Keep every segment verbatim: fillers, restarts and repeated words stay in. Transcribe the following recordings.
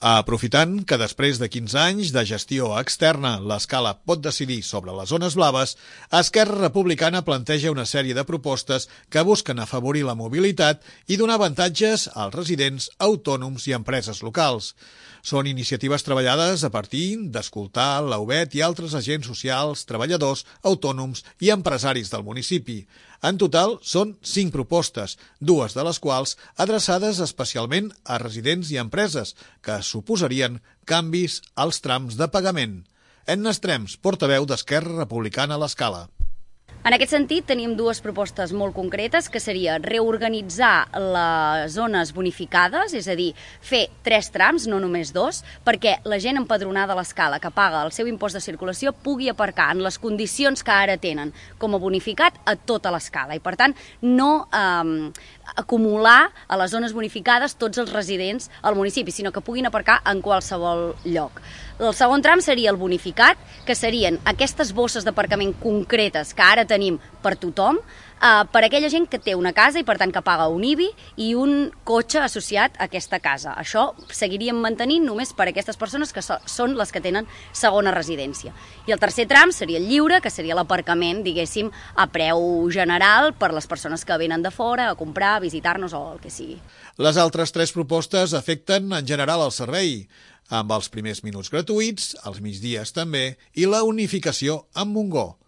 Aprofitant que després de quinze anys de gestió externa l'Escala pot decidir sobre les zones blaves, Esquerra Republicana planteja una sèrie de propostes que busquen afavorir la mobilitat i donar avantatges als residents, autònoms i empreses locals. Són iniciatives treballades a partir d'escoltar l'A U B E T i altres agents socials, treballadors, autònoms i empresaris del municipi. En total, són cinc propostes, dues de les quals adreçades especialment a residents i empreses, que suposarien canvis als trams de pagament. Edna Estrems, portaveu d'Esquerra Republicana a l'Escala. En aquest sentit, tenim dues propostes molt concretes, que seria reorganitzar les zones bonificades, és a dir, fer tres trams, no només dos, perquè la gent empadronada a l'Escala que paga el seu impost de circulació pugui aparcar en les condicions que ara tenen com a bonificat a tota l'Escala i, per tant, no eh, acumular a les zones bonificades tots els residents al municipi, sinó que puguin aparcar en qualsevol lloc. El segon tram seria el bonificat, que serien aquestes bosses d'aparcament concretes que ara tenim per tothom, eh, per aquella gent que té una casa i per tant que paga un I B I i un cotxe associat a aquesta casa. Això seguiríem mantenint només per a aquestes persones que so, són les que tenen segona residència. I el tercer tram seria el lliure, que seria l'aparcament, diguéssim, a preu general per les persones que venen de fora a comprar, a visitar-nos o el que sigui. Les altres tres propostes afecten en general el servei, amb els primers minuts gratuïts, els migdies també, i la unificació amb Montgó.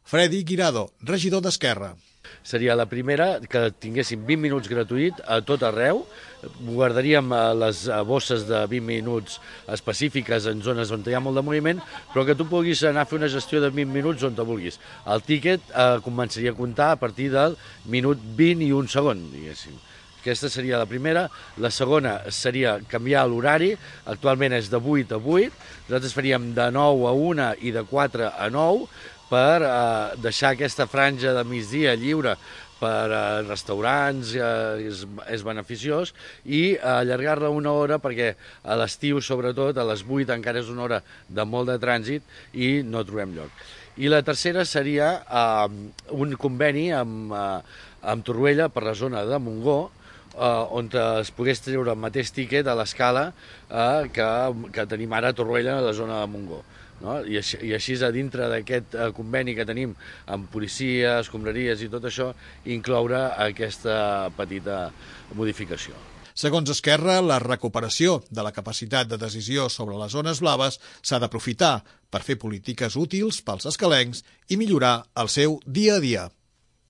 Freddy Guirado, regidor d'Esquerra. Seria la primera, que tinguéssim vint minuts gratuït a tot arreu. Guardaríem les bosses de vint minuts específiques en zones on hi ha molt de moviment, però que tu puguis anar a fer una gestió de vint minuts on te vulguis. El tíquet eh, començaria a comptar a partir del minut vint i un segon, diguéssim. Aquesta seria la primera. La segona seria canviar l'horari. Actualment és de vuit a vuit. Nosaltres faríem de nou a una i de quatre a nou per eh, deixar aquesta franja de migdia lliure per a restaurants, eh, és, és beneficiós, i allargar-la una hora perquè a l'estiu, sobretot, a les vuit encara és una hora de molt de trànsit i no trobem lloc. I la tercera seria eh, un conveni amb, eh, amb Torroella per la zona de Montgó, Uh, on es pogués treure el mateix tíquet a l'Escala uh, que, que tenim ara a Torroella, a la zona de Montgó. No? I, així, I així, a dintre d'aquest uh, conveni que tenim amb policia, escombraries i tot això, incloure aquesta petita modificació. Segons Esquerra, la recuperació de la capacitat de decisió sobre les zones blaves s'ha d'aprofitar per fer polítiques útils pels escalencs i millorar el seu dia a dia.